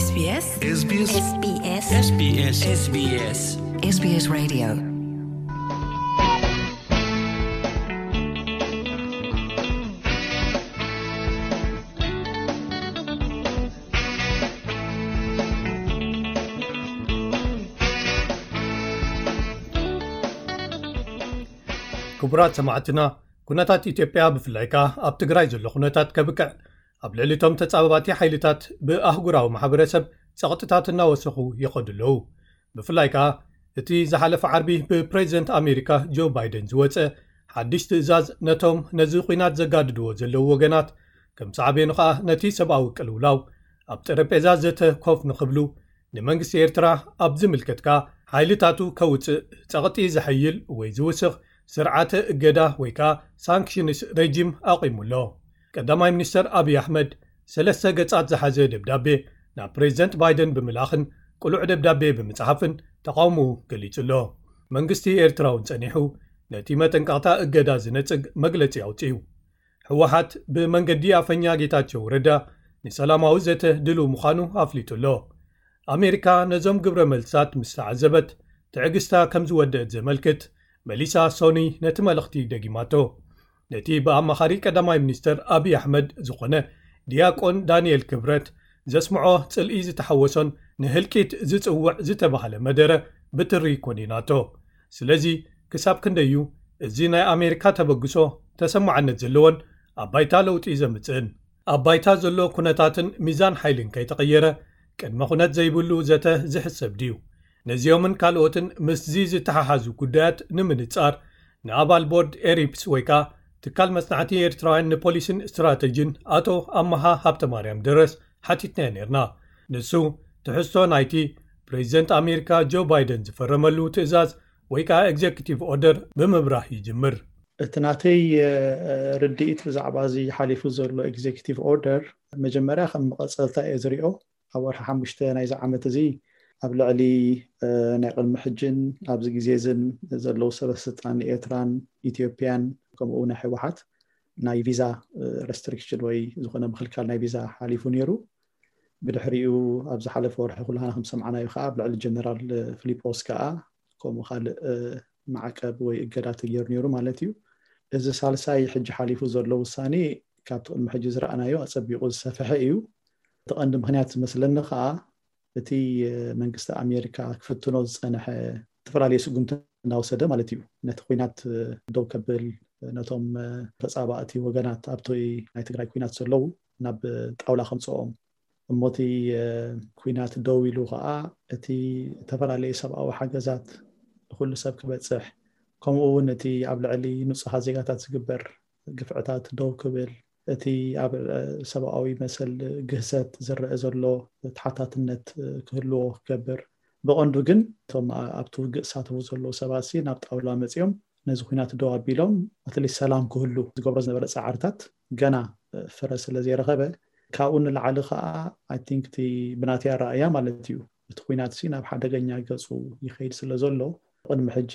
SBS SBS SBS SBS SBS SBS Radio. ክቡራት ሰማዕትና፣ ኩነታት ኢትዮጵያ ብፍላይ ከኣ ኣብ ትግራይ ዘሎ ኩነታት ከብቅዕ፣ ኣብ ልዕሊ እቶም ተጻባባቲ ሓይልታት ብኣህጉራዊ ማሕበረሰብ ጸቕጥታት እናወሰኹ ይኸዱ ኣለዉ። ብፍላይ ከኣ እቲ ዝሓለፈ ዓርቢ ብፕሬዚደንት ኣሜሪካ ጆ ባይደን ዝወጸ ሓድሽ ትእዛዝ፣ ነቶም ነዚ ኲናት ዘጋድድዎ ዘለዉ ወገናት፣ ከም ሳዕቤኑ ከኣ ነቲ ሰብኣዊ ቅልውላው ኣብ ጠረጴዛ ዘተ ኮፍ ንኽብሉ፣ ንመንግስቲ ኤርትራ ኣብ ዝምልከት ከኣ ሓይልታቱ ከውጽእ ጸቕጢ ዘሐይል ወይ ዝውስኽ ስርዓተ እገዳ ወይ ከኣ ሳንክሽንስ ሬጂም ኣቑሙ ኣሎ። ቀዳማይ ሚኒስተር ኣብይ ኣሕመድ ሰለስተ ገጻት ዝሓዘ ደብዳቤ ናብ ፕሬዚደንት ባይደን ብምልኣኽን ቅሉዕ ደብዳቤ ብምጽሓፍን ተቓውሞኡ ገሊጹ ኣሎ። መንግስቲ ኤርትራ እውን ጸኒሑ ነቲ መጠንቀቕታ እገዳ ዝነጽግ መግለጺ ኣውጺኡ። ህወሓት ብመንገዲ ኣፈኛ ጌታቸው ረዳ ንሰላማዊ ዘተ ድሉው ምዃኑ ኣፍሊጡ ኣሎ። ኣሜሪካ ነዞም ግብረ መልስታት ምስ ተዓዘበት ትዕግስታ ከም ዝወደአት ዘመልክት መሊሳ ሶኒ ነቲ መልእኽቲ ደጊማቶ። ነቲ ብኣማኻሪ ቀዳማይ ሚኒስተር ኣብይ ኣሕመድ ዝኾነ ዲያቆን ዳንኤል ክብረት ዘስምዖ ጽልኢ ዝተሓወሶን ንህልቂት ዝጽውዕ ዝተባህለ መደረ ብትሪ ኮኒናቶ። ስለዚ ክሳብ ክንደይ እዩ እዚ ናይ ኣሜሪካ ተበግሶ ተሰማዕነት ዘለዎን ኣብ ባይታ ለውጢ ዘምጽእን? ኣብ ባይታ ዘሎ ኩነታትን ሚዛን ሓይልን ከይተቐየረ ቅድመ ኩነት ዘይብሉ ዘተ ዝሕሰብ ድዩ? ነዚኦምን ካልኦትን ምስዚ ዝተሓሓዙ ጉዳያት ንምንጻር ንኣባል ቦርድ ኤሪፕስ ወይ ከኣ ትካል መጽናዕቲ ኤርትራውያን ንፖሊሲን ስትራተጂን ኣቶ ኣመሃ ሃብተማርያም ደረስ ሓቲትናዮ ነርና። ንሱ ትሕዝቶ ናይቲ ፕሬዚደንት ኣሜሪካ ጆ ባይደን ዝፈረመሉ ትእዛዝ ወይ ከኣ ኤግዜኪቲቭ ኦርደር ብምብራህ ይጅምር። እቲ ናተይ ርድኢት ብዛዕባ እዚ ሓሊፉ ዘሎ ኤግዜኪቲቭ ኦርደር መጀመርያ ከም መቐጸልታ እየ ዝሪኦ። ኣብ ወርሒ ሓሙሽተ ናይዚ ዓመት እዚ ኣብ ልዕሊ ናይ ቅድሚ ሕጅን ኣብዚ ግዜ እዝን ዘለዉ ሰበ ስልጣን ኤርትራን ኢትዮጵያን ከምኡ ናይ ህወሓት ናይ ቪዛ ረስትሪክሽን ወይ ዝኾነ ምክልካል ናይ ቪዛ ሓሊፉ ነይሩ። ብድሕሪኡ ኣብ ዝሓለፈ ወርሒ ኩላና ከም ሰምዓናዮ ከዓ ኣብ ልዕሊ ጀነራል ፊሊጶስ ከዓ ከምኡ ካልእ ማዕቀብ ወይ እገዳ ተገይሩ ነይሩ ማለት እዩ። እዚ ሳልሳይ ሕጂ ሓሊፉ ዘሎ ውሳኔ ካብቲ ቅድሚ ሕጂ ዝረኣናዮ ኣጸቢቑ ዝሰፍሐ እዩ። እቲ ቀንዲ ምክንያት ዝመስለኒ ከዓ እቲ መንግስቲ ኣሜሪካ ክፍትኖ ዝጸንሐ ዝተፈላለዩ ስጉምቲ እናወሰደ ማለት እዩ። ነቲ ኩናት ደው ከብል፣ ነቶም ተጻባእቲ ወገናት ኣብቲ ናይ ትግራይ ኩናት ዘለዉ ናብ ጣውላ ከምጽኦም እሞቲ ኩናት ደው ኢሉ ከዓ እቲ ዝተፈላለዩ ሰብኣዊ ሓገዛት ንኩሉ ሰብ ክበፅሕ ከምኡ እውን እቲ ኣብ ልዕሊ ንፁሃት ዜጋታት ዝግበር ግፍዕታት ደው ክብል እቲ ኣብ ሰብኣዊ መሰል ግህሰት ዝረአ ዘሎ ተሓታትነት ክህልዎ ክገብር ብቐንዱ ግን እቶም ኣብቲ ውግእ ዝሳተፉ ዘለዉ ሰባት ናብ ጣውላ መፂኦም ነዚ ኩናት ደው ኣቢሎም ኣትሊስት ሰላም ክህሉ ዝገብሮ ዝነበረ ፃዕርታት ገና ፍረ ስለ ዘይረኸበ ካብኡ ንላዕሊ ከዓ ኣይ ቲንክ እቲ ብናተይ ኣረኣእያ ማለት እዩ እቲ ኩናት ሲ ናብ ሓደገኛ ገፁ ይኸይድ ስለ ዘሎ ቅድሚ ሕጂ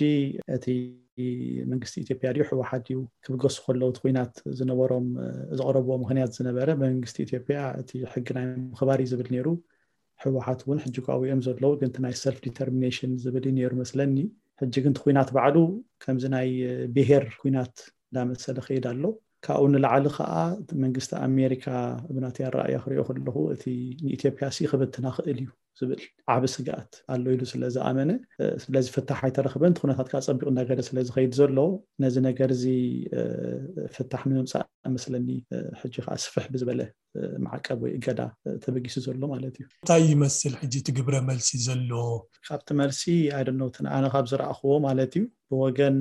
እቲ መንግስቲ ኢትዮጵያ ድዩ ህወሓት ድዩ ክብገሱ ከለዉ እቲ ኩናት ዝነበሮም ዘቕረብዎ ምክንያት ዝነበረ መንግስቲ ኢትዮጵያ እቲ ሕጊ ናይ ምኽባር እዩ ዝብል ነይሩ። ህወሓት እውን ሕጂ ኳ እዮም ዘለዉ ግን ናይ ሰልፍ ዲተርሚኔሽን ዝብል እዩ ነይሩ መስለኒ። ሕጂ ግን እቲ ኩናት ባዕሉ ከምዚ ናይ ብሄር ኩናት እንዳመሰለ ከይድ ኣሎ። ካብኡ ንላዕሊ ከዓ መንግስቲ ኣሜሪካ ብናተይ ኣረኣእያ ክሪኦ ከለኹ እቲ ንኢትዮጵያ ሲ ክብትና ክእል እዩ ዝብል ዓቢ ስግኣት ኣሎ ኢሉ ስለ ዝኣመነ ስለዚ ፍታሕ ኣይተረኽበን እቲ ኩነታት ከዓ ፀቢቑ እንዳገደ ስለ ዝኸይድ ዘሎ ነዚ ነገር እዚ ፍታሕ ንምምፃእ መስለኒ ሕጂ ከዓ ስፍሕ ብዝበለ ማዕቀብ ወይ እገዳ ተበጊሱ ዘሎ ማለት እዩ። እንታይ ይመስል ሕጂ እቲ ግብረ መልሲ ዘሎ? ካብቲ መልሲ ኣይደነውትን ኣነ ካብ ዝረኣኽዎ ማለት እዩ ብወገን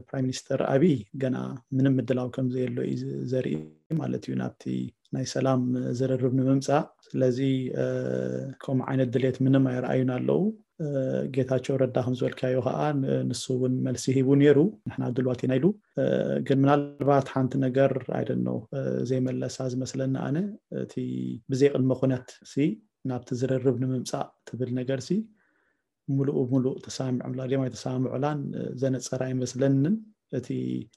ፕራይም ሚኒስተር ኣብይ ገና ምንም ምድላው ከም ዘየሎ እዩ ዘርኢ ማለት እዩ ናብቲ ናይ ሰላም ዝርርብ ንምምፃእ ስለዚ ከምኡ ዓይነት ድሌት ምንም ኣይረኣዩን ኣለዉ። ጌታቸው ረዳ ከም ዝበልካዮ ከዓ ንሱ እውን መልሲ ሂቡ ነይሩ ንሕና ድልዋት ኢና ኢሉ ግን ምናልባት ሓንቲ ነገር ኣይደኖ ዘይመለሳ ዝመስለኒ ኣነ እቲ ብዘይ ቅድመ ኩነት ሲ ናብቲ ዝርርብ ንምምፃእ ትብል ነገር ሲ ሙሉእ ሙሉእ ተሰማሚዖምላ ድዮም ኣይተሰማምዑላን ዘነፀረ ኣይመስለንን። እቲ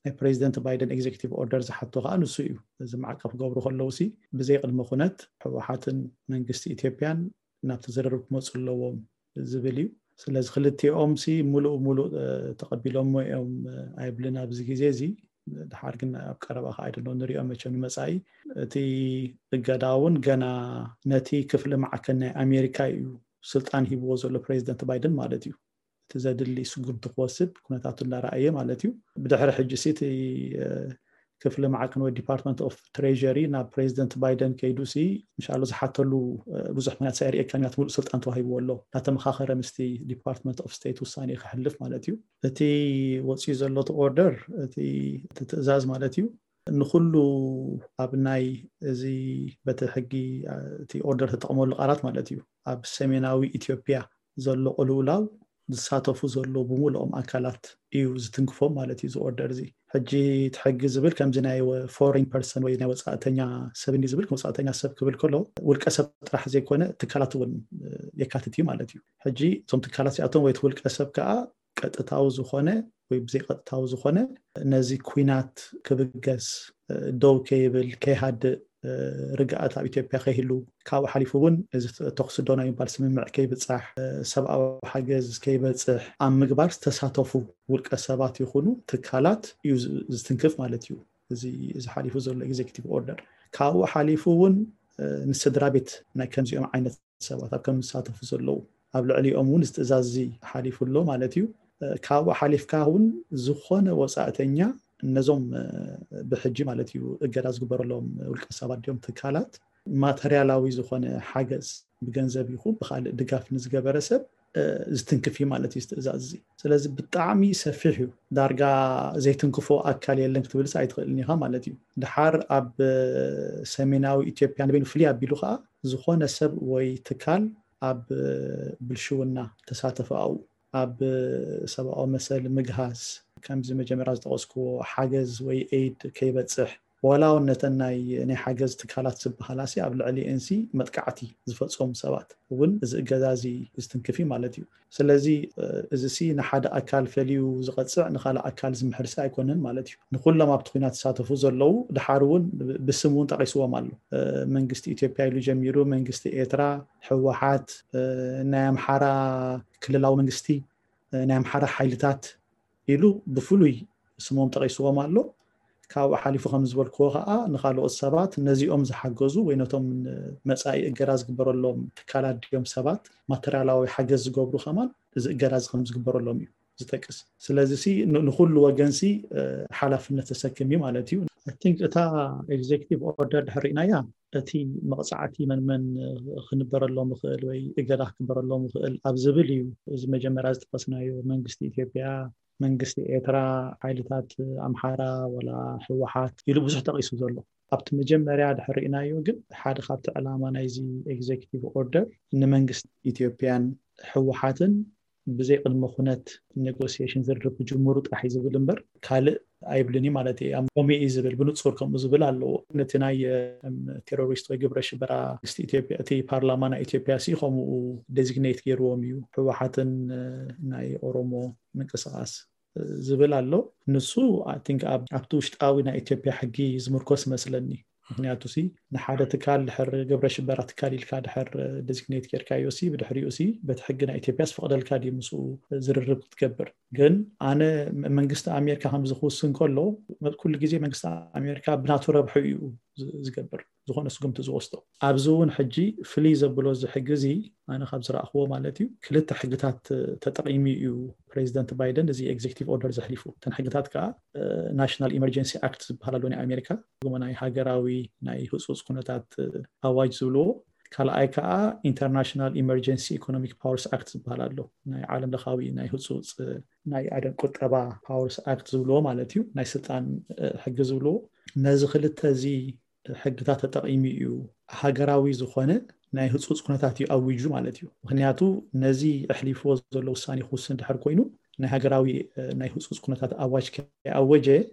ናይ ፕሬዚደንት ባይደን ኤግዜኪቲቭ ኦርደር ዝሓቶ ከዓ ንሱ እዩ። እዚ ማዕቀብ ክገብሩ ከለዉ ሲ ብዘይ ቅድመ ኩነት ህወሓትን መንግስቲ ኢትዮጵያን ናብቲ ዝርርብ ክመፁ ኣለዎም ዝብል እዩ። ስለዚ ክልቲኦም ሲ ሙሉእ ሙሉእ ተቐቢሎሞ እዮም ኣይብልን ኣብዚ ግዜ እዚ። ድሓር ግን ኣብ ቀረባ ከዓ ኣይደሎ ንሪኦ መቸም ንመፃኢ። እቲ እገዳ እውን ገና ነቲ ክፍሊ ማዕከን ናይ ኣሜሪካ እዩ ስልጣን ሂብዎ ዘሎ ፕሬዚደንት ባይደን ማለት እዩ። እቲ ዘድሊ ስጉምቲ ክወስድ ኩነታቱ እንዳረኣየ ማለት እዩ። ብድሕሪ ሕጂ ሲ እቲ ክፍሊ ማዕከን ወይ ዲፓርትመንት ኦፍ ትሬሪ ናብ ፕሬዚደንት ባይደን ከይዱ ሲ እንሻሎ ዝሓተሉ ብዙሕ ምክንያት ሳይር ኤካንያት ሙሉእ ስልጣን ተዋሂብዎ ኣሎ። እናተመኻኸረ ምስቲ ዲፓርትመንት ኦፍ ስቴት ውሳኔ ክሕልፍ ማለት እዩ። እቲ ወፅዩ ዘሎ እቲ ኦርደር እቲ ትእዛዝ ማለት እዩ ንኩሉ ኣብ ናይ እዚ በቲ ሕጊ እቲ ኦርደር ተጠቕመሉ ቃላት ማለት እዩ ኣብ ሰሜናዊ ኢትዮጵያ ዘሎ ቅልውላው ዝሳተፉ ዘለዉ ብምልኦም ኣካላት እዩ ዝትንክፎም ማለት እዩ እዚ ኦርደር እዚ። ሕጂ እቲ ሕጊ ዝብል ከምዚ ናይ ፎሬን ፐርሰን ወይ ናይ ወፃእተኛ ሰብ እንዲ ዝብል ወፃእተኛ ሰብ ክብል ከሎ ውልቀ ሰብ ጥራሕ ዘይኮነ ትካላት እውን የካትት እዩ ማለት እዩ። ሕጂ እቶም ትካላት እዚኣቶም ወይ እቲ ውልቀ ሰብ ከዓ ቀጥታዊ ዝኾነ ወይ ብዘይቀጥታዊ ዝኾነ ነዚ ኩናት ክብገስ ደው ከይብል ከይሃድእ ርግኣት ኣብ ኢትዮጵያ ከይህሉ ካብኡ ሓሊፉ እውን እዚ ተኩሲ ዶ ናይ ምባል ስምምዕ ከይብፃሕ ሰብኣዊ ሓገዝ ከይበፅሕ ኣብ ምግባር ዝተሳተፉ ውልቀ ሰባት ይኹኑ ትካላት እዩ ዝትንክፍ ማለት እዩ። እዚ ሓሊፉ ዘሎ ኤግዜኪቲቭ ኦርደር ካብኡ ሓሊፉ እውን ንስድራ ቤት ናይ ከምዚኦም ዓይነት ሰባት ኣብ ከም ዝሳተፉ ዘለዉ ኣብ ልዕሊኦም እውን እዚ ትእዛዝ እዚ ሓሊፉ ኣሎ ማለት እዩ። ካብኡ ሓሊፍካ እውን ዝኾነ ወፃእተኛ ነዞም ብሕጂ ማለት እዩ እገዳ ዝግበረሎም ውልቀ ሰባት ድዮም ትካላት ማተርያላዊ ዝኾነ ሓገዝ ብገንዘብ ይኹን ብካልእ ድጋፍ ንዝገበረ ሰብ ዝትንክፍ እዩ ማለት እዩ ትእዛዝ እዚ። ስለዚ ብጣዕሚ ሰፊሕ እዩ። ዳርጋ ዘይትንክፎ ኣካል የለን ክትብልስ ኣይትኽእልን ኢኻ ማለት እዩ። ድሓር ኣብ ሰሜናዊ ኢትዮጵያ ንበይኑ ፍልይ ኣቢሉ ከዓ ዝኾነ ሰብ ወይ ትካል ኣብ ብልሽውና ተሳተፈ ኣብኡ ኣብ ሰብኣዊ መሰል ምግሃስ ከምዚ መጀመርያ ዝጠቐስክዎ ሓገዝ ወይ ኤድ ከይበፅሕ ዋላ እውን ነተን ናይ ናይ ሓገዝ ትካላት ዝበሃላ ሲ ኣብ ልዕሊኤን ሲ መጥቃዕቲ ዝፈፀሙ ሰባት እውን እዚ እገዛ እዚ ዝትንክፍ እዩ ማለት እዩ። ስለዚ እዚ ሲ ንሓደ ኣካል ፈልዩ ዝቐፅዕ ንካልእ ኣካል ዝምሕር ሲ ኣይኮነን ማለት እዩ። ንኩሎም ኣብቲ ኩናት ዝሳተፉ ዘለዉ ድሓር እውን ብስም እውን ጠቂስዎም ኣሎ። መንግስቲ ኢትዮጵያ ኢሉ ጀሚሩ መንግስቲ ኤርትራ፣ ህወሓት፣ ናይ ኣምሓራ ክልላዊ መንግስቲ፣ ናይ ኣምሓራ ሓይልታት ኢሉ ብፍሉይ ስሞም ጠቂስዎም ኣሎ። ካብኡ ሓሊፉ ከም ዝበልክዎ ከዓ ንካልኦት ሰባት ነዚኦም ዝሓገዙ ወይ ነቶም መፃኢ እገዳ ዝግበረሎም ትካላት ድዮም ሰባት ማተርያላዊ ሓገዝ ዝገብሩ ከማን እዚ እገዳ እዚ ከም ዝግበረሎም እዩ ዝጠቅስ። ስለዚ ሲ ንኩሉ ወገን ሲ ሓላፍነት ተሰክም እዩ ማለት እዩ። I think እታ ኤግዜኪቲቭ ኦርደር ድሕር ርኢናያ እቲ መቕፃዕቲ መን መን ክንበረሎም ይኽእል ወይ እገዳ ክግበረሎም ይኽእል ኣብ ዝብል እዩ። እዚ መጀመርያ ዝጠቀስናዮ መንግስቲ ኢትዮጵያ፣ መንግስቲ ኤርትራ፣ ሓይልታት ኣምሓራ ወላ ህወሓት ኢሉ ብዙሕ ጠቂሱ ዘሎ። ኣብቲ መጀመርያ ድሕር ርኢናዮ ግን ሓደ ካብቲ ዕላማ ናይዚ ኤግዜኪቲቭ ኦርደር ንመንግስቲ ኢትዮጵያን ህወሓትን ብዘይ ቅድመ ኩነት ኔጎሲዬሽን ዝርርብ ክጅምሩ ጥራሕ እዩ ዝብል እምበር ካልእ ኣይብልን እዩ ማለት እዩ። ከምኡ እዩ ዝብል ብንፁር ከምኡ ዝብል ኣለዎ። ነቲ ናይ ቴሮሪስት ወይ ግብረ ሽበራ መንግስቲ ኢትዮጵያ እቲ ፓርላማ ናይ ኢትዮጵያ ሲ ከምኡ ዴዚግኔት ገይርዎም እዩ። ህወሓትን ናይ ኦሮሞ ምንቅስቃስ ዝብል ኣሎ። ንሱ I think ኣብቲ ውሽጣዊ ናይ ኢትዮጵያ ሕጊ ዝምርኮስ መስለኒ። ምክንያቱ ሲ ንሓደ ትካል ድሕር ግብረ ሽበራ ትካል ኢልካ ድሕር ዴዚግኔት ጌርካዮ ሲ ብድሕሪኡ ሲ በቲ ሕጊ ናይ ኢትዮጵያ ዝፈቅደልካ ድዩ ምስኡ ዝርርብ ክትገብር? ግን ኣነ መንግስቲ ኣሜሪካ ከምዚ ክውስን ከሎ ኩሉ ግዜ መንግስቲ ኣሜሪካ ብናቱ ረብሑ እዩ ዝገብር ዝኾነ ስጉምቲ ዝወስዶ። ኣብዚ እውን ሕጂ ፍልይ ዘብሎ እዚ ሕጊ እዚ ኣነ ካብ ዝረእኽዎ ማለት እዩ ክልተ ሕግታት ተጠቂሙ እዩ ፕሬዚደንት ባይደን እዚ ኤግዜክቲቭ ኦርደር ዘሕሊፉ። እተን ሕግታት ከዓ ናሽናል ኢመርጀንሲ ኣክት ዝበሃል ኣሎ ናይ ኣሜሪካ፣ ናይ ሃገራዊ ናይ ህፁፅ ኩነታት ኣዋጅ ዝብልዎ። ካልኣይ ከዓ ኢንተርናሽናል ኢመርጀንሲ ኢኮኖሚክ ፓወርስ ኣክት ዝበሃል ኣሎ፣ ናይ ዓለም ለኻዊ ናይ ህፁፅ ናይ ኣደን ቁጠባ ፓወርስ ኣክት ዝብልዎ ማለት እዩ፣ ናይ ስልጣን ሕጊ ዝብልዎ። ነዚ ክልተ እዚ ሕግታት ተጠቂሙ እዩ ሃገራዊ ዝኾነ ናይ ህፁፅ ኩነታት እዩ ኣዊጁ ማለት እዩ። ምክንያቱ ነዚ ኣሕሊፍዎ ዘሎ ውሳኔ ክውስን ድሕር ኮይኑ ናይ ሃገራዊ ናይ ህፁፅ ኩነታት ኣዋጅ ከይኣወጀ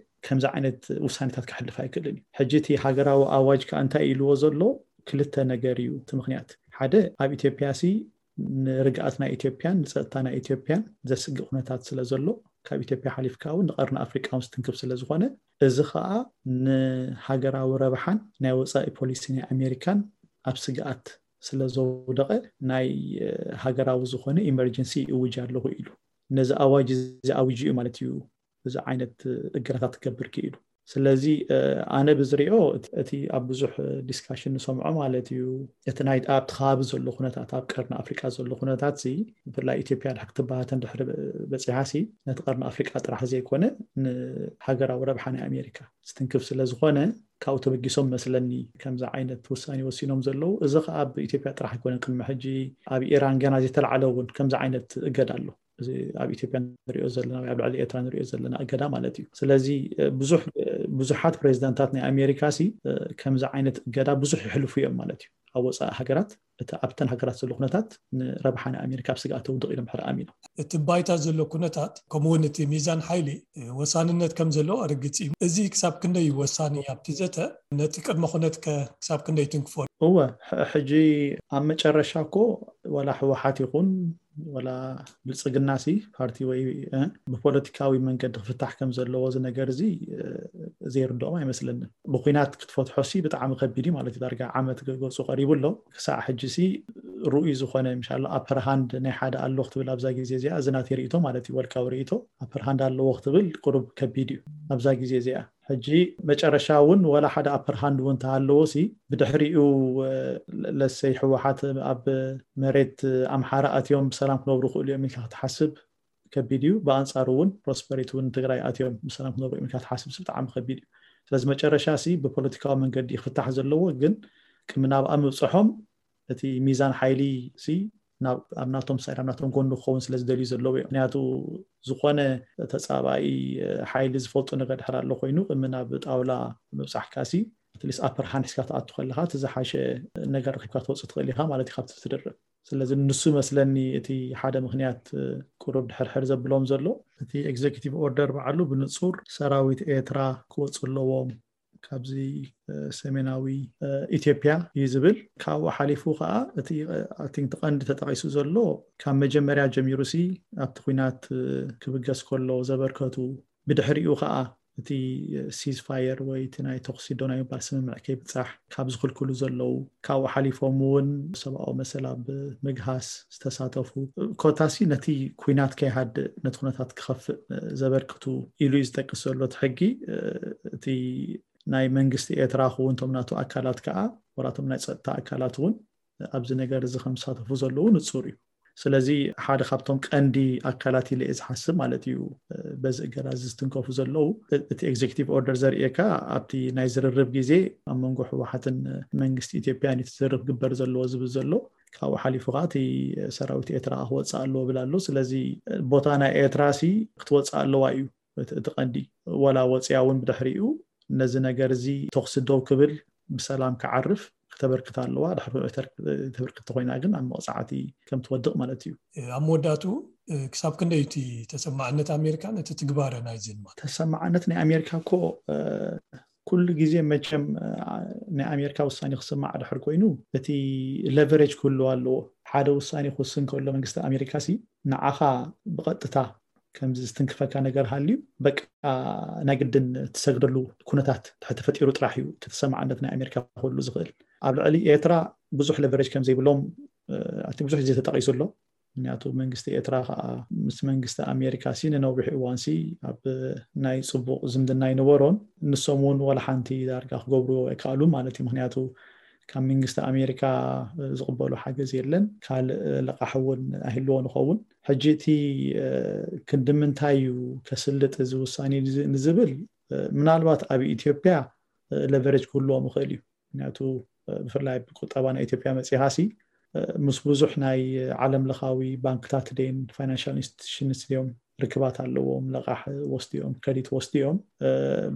ከምዚ ዓይነት ውሳኔታት ከሕልፍ ኣይክእልን እዩ። ሕጂ እቲ ሃገራዊ ኣዋጅ ከዓ እንታይ ኢልዎ ዘሎ ክልተ ነገር እዩ እቲ ምክንያት። ሓደ ኣብ ኢትዮጵያ ሲ ንርግኣት ናይ ኢትዮጵያን ንፀጥታ ናይ ኢትዮጵያን ዘስግእ ኩነታት ስለ ዘሎ ካብ ኢትዮጵያ ሓሊፍካ እውን ንቀርኒ ኣፍሪቃ እውን ዝትንክፍ ስለ ዝኾነ እዚ ከዓ ንሃገራዊ ረብሓን ናይ ወፃኢ ፖሊሲ ናይ ኣሜሪካን ኣብ ስግኣት ስለ ዘውደቐ ናይ ሃገራዊ ዝኾነ ኢመርጀንሲ እውጅ ኣለኹ ኢሉ። ነዚ ኣዋጅ እዚ ኣውጅ እዩ ማለት እዩ እዚ ዓይነት እገዳታት ክገብር ክኢሉ። ስለዚ ኣነ ብዝሪኦ እቲ ኣብ ብዙሕ ዲስካሽን ንሰምዖ ማለት እዩ፣ እቲ ናይ ኣብቲ ከባቢ ዘሎ ኩነታት፣ ኣብ ቀርኒ ኣፍሪቃ ዘሎ ኩነታት ሲ ብፍላይ ኢትዮጵያ ድሕር ክትባህተን ድሕሪ በፂሓ ሲ ነቲ ቀርኒ ኣፍሪቃ ጥራሕ ዘይኮነ ንሃገራዊ ረብሓ ናይ ኣሜሪካ ዝትንክፍ ስለ ዝኾነ ካብኡ ተበጊሶም መስለኒ ከምዚ ዓይነት ውሳኔ ወሲኖም ዘለዉ። እዚ ከዓ ኣብ ኢትዮጵያ ጥራሕ ኣይኮነን፣ ቅድሚ ሕጂ ኣብ ኢራን ገና ዘይተላዕለ እውን ከምዚ ዓይነት እገዳ ኣሎ። እዚ ኣብ ኢትዮጵያ ንሪኦ ዘለና ወይ ኣብ ልዕሊ ኤርትራ ንሪኦ ዘለና እገዳ ማለት እዩ። ስለዚ ብዙሕ ብዙሓት ፕሬዚዳንታት ናይ ኣሜሪካ ሲ ከምዚ ዓይነት እገዳ ብዙሕ ይሕልፉ እዮም ማለት እዩ። ኣብ ወፃኢ ሃገራት እቲ ኣብተን ሃገራት ዘሎ ኩነታት ንረብሓ ናይ ኣሜሪካ ኣብ ስግኣት ተውድቕ ኢሎም ድሕር ኣሚኖም። እቲ ባይታ ዘሎ ኩነታት ከምኡውን እቲ ሚዛን ሓይሊ ወሳንነት ከም ዘለዎ ርግፅ እዩ። እዚ ክሳብ ክንደይ እዩ ወሳኒ ኣብቲ ዘተ? ነቲ ቅድመ ኩነት ከ ክሳብ ክንደይ ትንክፎ? እወ፣ ሕጂ ኣብ መጨረሻ እኮ ወላ ህወሓት ይኹን ወላ ብልፅግና ሲ ፓርቲ ወይ ብፖለቲካዊ መንገዲ ክፍታሕ ከም ዘለዎ እዚ ነገር እዚ ዘይርድኦም ኣይመስለንን። ብኩናት ክትፈትሖ ሲ ብጣዕሚ ከቢድ እዩ ማለት እዩ። ዳርጋ ዓመት ገፁ ቀሪቡ ኣሎ። ክሳዕ ሕጂ ሲ ርኡይ ዝኾነ ምሻሎ ኣፐር ሃንድ ናይ ሓደ ኣሎ ክትብል ኣብዛ ግዜ እዚኣ እዚ ናተይ ርእይቶ ማለት እዩ። ወልቃዊ ርእይቶ ኣፐር ሃንድ ኣለዎ ክትብል ቁሩብ ከቢድ እዩ ኣብዛ ግዜ እዚኣ። ሕጂ መጨረሻ እውን ወላ ሓደ ኣፐር ሃንድ እውን ተሃለዎ ሲ ብድሕሪኡ ለሰይ ህወሓት ኣብ መሬት ኣምሓራ ኣትዮም ብሰላም ክነብሩ ክእሉ እዮም ኢልካ ክትሓስብ ከቢድ እዩ። ብኣንፃሩ እውን ፕሮስፐሪቲ እውን ትግራይ ኣትዮም ብሰላም ክነብሩ እዮም ኢልካ ክትሓስብ ሲ ብጣዕሚ ከቢድ እዩ። ስለዚ መጨረሻ ሲ ብፖለቲካዊ መንገዲ ክፍታሕ ዘለዎ ግን ቅድሚ ናብኣ ምብፅሖም እቲ ሚዛን ሓይሊ ሲ ኣብ ናቶም ሳይድ ኣብ ናቶም ጎኒ ክኸውን ስለ ዝደልዩ ዘለዉ እዮም። ምክንያቱ ዝኾነ ተፃባኢ ሓይሊ ዝፈልጦ ነገር ድሕር ኣሎ ኮይኑ ቅድሚ ናብ ጣውላ ምብፃሕካ ሲ ኣትሊስት ኣፐር ሃንድ ሒዝካ ትኣቱ ከለካ እቲ ዝሓሸ ነገር ረኪብካ ትወፅእ ትኽእል ኢካ ማለት እዩ ካብቲ ትድርብ። ስለዚ ንሱ መስለኒ እቲ ሓደ ምክንያት ቁሩብ ድሕርሕር ዘብሎም ዘሎ እቲ ኤግዜኪቲቭ ኦርደር በዓሉ ብንፁር ሰራዊት ኤርትራ ክወፁ ኣለዎም ካብዚ ሰሜናዊ ኢትዮጵያ እዩ ዝብል። ካብኡ ሓሊፉ ከዓ እቲ ቀንዲ ተጠቂሱ ዘሎ ካብ መጀመርያ ጀሚሩ ሲ ኣብቲ ኩናት ክብገስ ከሎ ዘበርከቱ ብድሕሪኡ ከዓ እቲ ሲዝ ፋየር ወይ እቲ ናይ ተኩሲ ዶ ናይ ምባል ስምምዕ ከይብፃሕ ካብ ዝኽልክሉ ዘለዉ ካብኡ ሓሊፎም እውን ሰብኣዊ መሰል ኣብ ምግሃስ ዝተሳተፉ ኮታሲ ነቲ ኩናት ከይሃድእ ነቲ ኩነታት ክኸፍእ ዘበርክቱ ኢሉ እዩ ዝጠቅስ ዘሎ እቲ ሕጊ። እቲ ናይ መንግስቲ ኤርትራ ክውን እቶም ናቱ ኣካላት ከዓ ወላቶም ናይ ፀጥታ ኣካላት እውን ኣብዚ ነገር እዚ ከም ዝሳተፉ ዘለዉ ንፁር እዩ። ስለዚ ሓደ ካብቶም ቀንዲ ኣካላት ኢለ እየ ዝሓስብ ማለት እዩ በዚ እገዳ እዚ ዝትንከፉ ዘለዉ። እቲ ኤግዜኪቲቭ ኦርደር ዘርእየካ ኣብቲ ናይ ዝርርብ ግዜ ኣብ መንጎ ህወሓትን መንግስቲ ኢትዮጵያን እቲ ዝርርብ ግበር ዘለዎ ዝብል ዘሎ ካብኡ ሓሊፉ ከዓ እቲ ሰራዊት ኤርትራ ክወፅእ ኣለዎ ብል ኣሎ። ስለዚ ቦታ ናይ ኤርትራ ሲ ክትወፅእ ኣለዋ እዩ እቲ ቀንዲ። ወላ ወፅያ እውን ብድሕሪኡ ነዚ ነገር እዚ ተኩሲ ደው ክብል ብሰላም ክዓርፍ ክተበርክት ኣለዋ። ድሕሪ ተበርክት ተኮይና ግን ኣብ መቕፃዕቲ ከም ትወድቕ ማለት እዩ። ኣብ መወዳእቱ ክሳብ ክንደይ እቲ ተሰማዕነት ኣሜሪካ ነቲ ትግባረ ናይዚ ድማ? ተሰማዕነት ናይ ኣሜሪካ እኮ ኩሉ ግዜ መቸም ናይ ኣሜሪካ ውሳኔ ክስማዕ ድሕር ኮይኑ እቲ ለቨሬጅ ክህልዎ ኣለዎ። ሓደ ውሳኔ ክውስን ከሎ መንግስቲ ኣሜሪካ ሲ ንዓኻ ብቐጥታ ከምዚ ዝትንክፈካ ነገር ሃልዩ በቃ ናይ ግድን ትሰግደሉ ኩነታት ድሕር ተፈጢሩ ጥራሕ እዩ እቲ ተሰማዕነት ናይ ኣሜሪካ ክህሉ ዝኽእል። ኣብ ልዕሊ ኤርትራ ብዙሕ ለቨሬጅ ከም ዘይብሎም እቲ ብዙሕ ግዜ ተጠቒሱ ኣሎ። ምክንያቱ መንግስቲ ኤርትራ ከዓ ምስ መንግስቲ ኣሜሪካ ሲ ንነዊሕ እዋን ሲ ኣብ ናይ ፅቡቕ ዝምድና ኣይነበሮን። ንሶም እውን ዋላ ሓንቲ ዳርጋ ክገብርዎ ኣይከኣሉን ማለት እዩ። ምክንያቱ ካብ መንግስቲ ኣሜሪካ ዝቕበሎ ሓገዝ የለን። ካልእ ለቓሕ እውን ኣይህልዎ ንኸውን። ሕጂ እቲ ክንዲ ምንታይ እዩ ከስልጥ እዚ ውሳኔ ንዝብል ምናልባት ኣብ ኢትዮጵያ ለቨሬጅ ክህልዎም ይኽእል እዩ። ምክንያቱ ብፍላይ ብቁጠባ ናይ ኢትዮጵያ መፂኻ ሲ ምስ ብዙሕ ናይ ዓለም ለኻዊ ባንክታት ደን ፋይናንሻል ኢንስቲቱሽንስ ድዮም ርክባት ኣለዎም፣ ለቓሕ ወስድዮም፣ ክሬዲት ወስድዮም።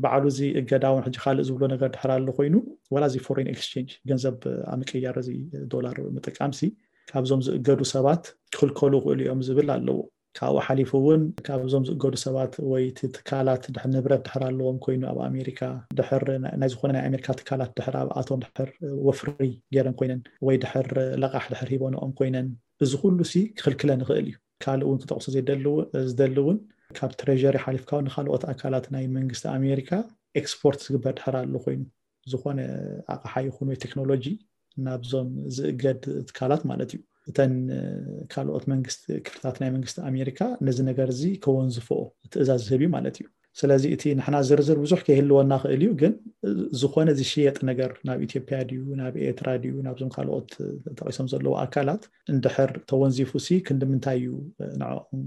ባዕሉ እዚ እገዳ እውን ሕጂ ካልእ ዝብሎ ነገር ድሕር ኣሎ ኮይኑ ወላ እዚ ፎሬን ኤክስቼንጅ ገንዘብ ኣብ ምቅያር እዚ ዶላር ምጥቃም ሲ ካብዞም ዝእገዱ ሰባት ክኽልከሉ ይኽእሉ እዮም ዝብል ኣለዎ። ካብኡ ሓሊፉ እውን ካብዞም ዝእገዱ ሰባት ወይ እቲ ትካላት ድሕር ንብረት ድሕር ኣለዎም ኮይኑ ኣብ ኣሜሪካ ድሕር ናይ ዝኾነ ናይ ኣሜሪካ ትካላት ድሕር ኣብኣቶም ድሕር ወፍሪ ገይረን ኮይነን ወይ ድሕር ለቓሕ ድሕር ሂቦንኦም ኮይነን እዚ ኩሉ ሲ ክኽልክለን ይኽእል እዩ። ካልእ እውን ክጠቕሶ ዝደሊ እውን ካብ ትሬሪ ሓሊፍካ እውን ንካልኦት ኣካላት ናይ መንግስቲ ኣሜሪካ ኤክስፖርት ዝግበር ድሕር ኣሎ ኮይኑ ዝኾነ ኣቕሓ ይኹን ወይ ቴክኖሎጂ ናብዞም ዝእገድ ትካላት ማለት እዩ። እተን ካልኦት መንግስቲ ክፍልታት ናይ መንግስቲ ኣሜሪካ ነዚ ነገር እዚ ከወንዝፎ ትእዛዝ ዝህብ እዩ ማለት እዩ። ስለዚ እቲ ንሕና ዝርዝር ብዙሕ ከይህልወና ክእል እዩ፣ ግን ዝኾነ ዝሽየጥ ነገር ናብ ኢትዮጵያ ድዩ ናብ ኤርትራ ድዩ ናብዞም ካልኦት ተጠቂሶም ዘለዉ ኣካላት እንድሕር ተወንዚፉ ሲ ክንዲ ምንታይ እዩ ንዕኦም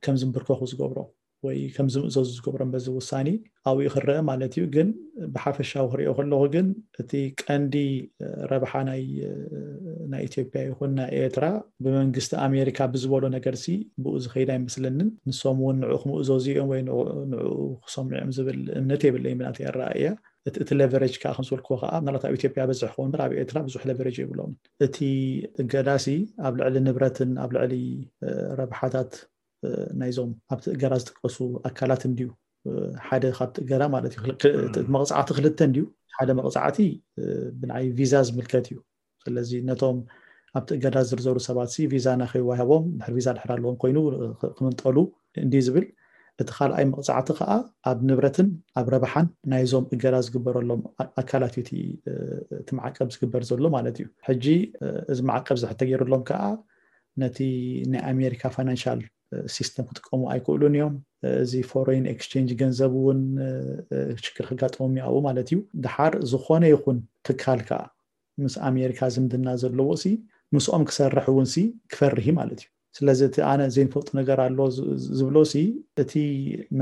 ከም ዝንብርከኹ ዝገብሮ ወይ ከም ዝምእዘዙ ዝገብሮም በዚ ውሳኔ ኣብኡ ክረአ ማለት እዩ። ግን ብሓፈሻዊ ክሪኦ ከለኹ ግን እቲ ቀንዲ ረብሓ ናይ ናይ ኢትዮጵያ ይኹን ናይ ኤርትራ ብመንግስቲ ኣሜሪካ ብዝበሎ ነገር ሲ ብኡ ዝኸይድ ኣይመስለንን። ንሶም እውን ንዑ ክምእዘዙ እዮም ወይ ንዑ ክሰምዑ እዮም ዝብል እምነት የብለይ ብናተይ ኣረኣእያ። እቲ ሌቨሬጅ ከዓ ከም ዝበልክዎ ከዓ ምናልባት ኣብ ኢትዮጵያ በዝሕ ክኸውን እምበር ኣብ ኤርትራ ብዙሕ ሌቨሬጅ የብሎም። እቲ እገዳሲ ኣብ ልዕሊ ንብረትን ኣብ ልዕሊ ረብሓታት ናይዞም ኣብቲ እገዳ ዝጥቀሱ ኣካላት እንድዩ ሓደ ካብቲ እገዳ ማለት እዩ። መቕፃዕቲ ክልተ እንድዩ። ሓደ መቕፃዕቲ ብናይ ቪዛ ዝምልከት እዩ። ስለዚ ነቶም ኣብቲ እገዳ ዝርዘሩ ሰባት ሲ ቪዛ ናኸይዋሃቦም ድሕር ቪዛ ድሕር ኣለዎም ኮይኑ ክምንጠሉ እንዲ ዝብል። እቲ ካልኣይ መቕፃዕቲ ከዓ ኣብ ንብረትን ኣብ ረብሓን ናይዞም እገዳ ዝግበረሎም ኣካላት እዩ እቲ ማዕቀብ ዝግበር ዘሎ ማለት እዩ። ሕጂ እዚ ማዕቀብ ዝሕተገይሩሎም ከዓ ነቲ ናይ ኣሜሪካ ፋይናንሻል ሲስተም ክጥቀሙ ኣይክእሉን እዮም። እዚ ፎሬን ኤክስቼንጅ ገንዘብ እውን ሽግር ክጋጥሞም ይኣው ማለት እዩ። ድሓር ዝኾነ ይኹን ትካል ከዓ ምስ ኣሜሪካ ዝምድና ዘለዎ ሲ ምስኦም ክሰርሕ እውን ሲ ክፈርህ ማለት እዩ። ስለዚ እቲ ኣነ ዘይንፈልጡ ነገር ኣሎ ዝብሎ ሲ እቲ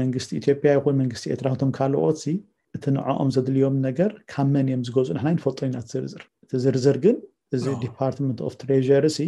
መንግስቲ ኢትዮጵያ ይኹን መንግስቲ ኤርትራ ቶም ካልኦት ሲ እቲ ንዕኦም ዘድልዮም ነገር ካብ መን እዮም ዝገዝኡ ንሕና ይንፈልጦ ኢና። ዝርዝር እቲ ዝርዝር ግን እዚ ዲፓርትመንት ኦፍ ትሬሪ ሲ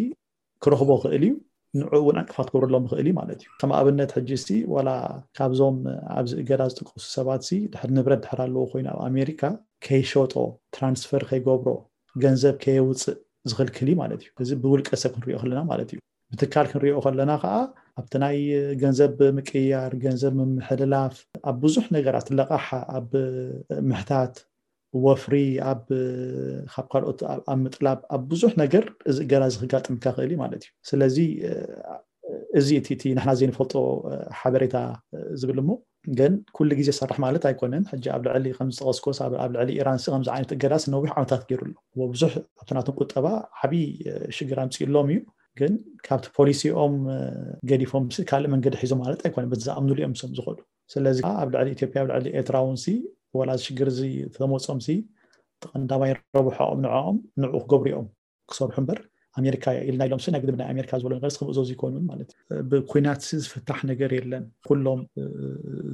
ክረኽቦ ክእል እዩ። ንዑ እውን ዕንቅፋት ክገብረሎም ክእል እዩ ማለት እዩ። ከም ኣብነት ሕጂ ሲ ዋላ ካብዞም ኣብዚ እገዳ ዝጥቀሱ ሰባት ሲ ድሕር ንብረት ድሕር ኣለዎ ኮይኑ ኣብ ኣሜሪካ ከይሸጦ ትራንስፈር ከይገብሮ ገንዘብ ከየውፅእ ዝኽልክል እዩ ማለት እዩ። እዚ ብውልቀ ሰብ ክንሪኦ ከለና ማለት እዩ። ብትካል ክንሪኦ ከለና ከዓ ኣብቲ ናይ ገንዘብ ምቅያር ገንዘብ ምምሕልላፍ ኣብ ብዙሕ ነገራት ለቃሓ ኣብ ምሕታት ወፍሪ ኣብ ካብ ካልኦት ኣብ ምጥላብ ኣብ ብዙሕ ነገር እዚ እገዳ እዚ ክጋጥምካ ክእል እዩ ማለት እዩ። ስለዚ እዚ እቲ ንሕና ዘይንፈልጦ ሓበሬታ ዝብል እሞ ግን ኩሉ ግዜ ሰርሕ ማለት ኣይኮነን። ሕጂ ኣብ ልዕሊ ከም ዝጠቀስኮስ ኣብ ልዕሊ ኢራን ሲ ከምዚ ዓይነት እገዳስ ነዊሕ ዓመታት ገይሩ ኣሎ። ብዙሕ ኣብቲ ናቶም ቁጠባ ዓብዪ ሽግር ኣምፅእሎም እዩ። ግን ካብቲ ፖሊሲኦም ገዲፎም ካልእ መንገዲ ሒዞም ማለት ኣይኮነን። በቲ ዝኣምኑሉ እዮም ሶም ዝኸዱ። ስለዚ ኣብ ልዕሊ ኢትዮጵያ ኣብ ልዕሊ ኤርትራ እውን ሲ ወላ ሽግር እዚ ተመፆም ሲ ተቐንዳማይ ረብሖኦም ንዕኦም ንዑ ክገብሩ እዮም ክሰርሑ እምበር ኣሜሪካ ኢልና ኢሎም ሲ ናይ ግድብ ናይ ኣሜሪካ ዝበሎ ነገር ክምእዘዙ ይኮኑን ማለት እዩ። ብኩናት ሲ ዝፍታሕ ነገር የለን። ኩሎም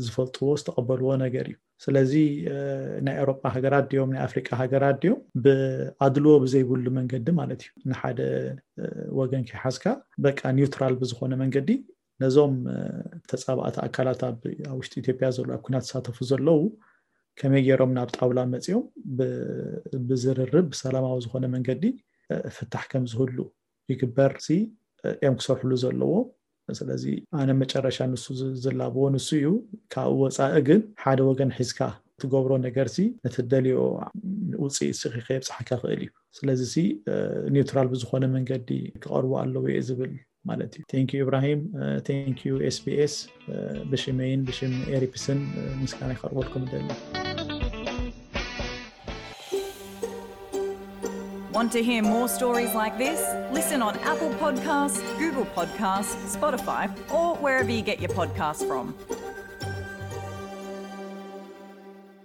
ዝፈልጥዎ ዝተቐበልዎ ነገር እዩ። ስለዚ ናይ ኤውሮጳ ሃገራት ድዮም ናይ ኣፍሪቃ ሃገራት ድዮም ብኣድልዎ ብዘይብሉ መንገዲ ማለት እዩ ንሓደ ወገን ከይሓዝካ በቃ ኒውትራል ብዝኾነ መንገዲ ነዞም ተፃባእቲ ኣካላት ኣብ ውሽጢ ኢትዮጵያ ዘለዉ ኣብ ኩናት ዝሳተፉ ዘለዉ ከመይ ገይሮም ናብ ጣውላ መፂኦም ብዝርርብ ብሰላማዊ ዝኾነ መንገዲ ፍታሕ ከም ዝህሉ ይግበር ሲ እዮም ክሰርሕሉ ዘለዎ። ስለዚ ኣነ መጨረሻ ንሱ ዝላብዎ ንሱ እዩ። ካብኡ ወፃኢ ግን ሓደ ወገን ሒዝካ ትገብሮ ነገር ሲ ነቲ ደልዮ ውፅኢት ሲ ከየብፅሓካ ክእል እዩ። ስለዚ ሲ ኒውትራል ብዝኾነ መንገዲ ክቐርቡ ኣለዎ እየ ዝብል ማለት እዩ። Thank you ኢብራሂም። Thank you SBS። ብሽመይን ብሽም ኤሪፕስን ምስጋና ይኸርበልኩም ደሊ። Want to hear more stories like this? Listen on Apple Podcasts, Google Podcasts, Spotify, or wherever you get your podcasts from.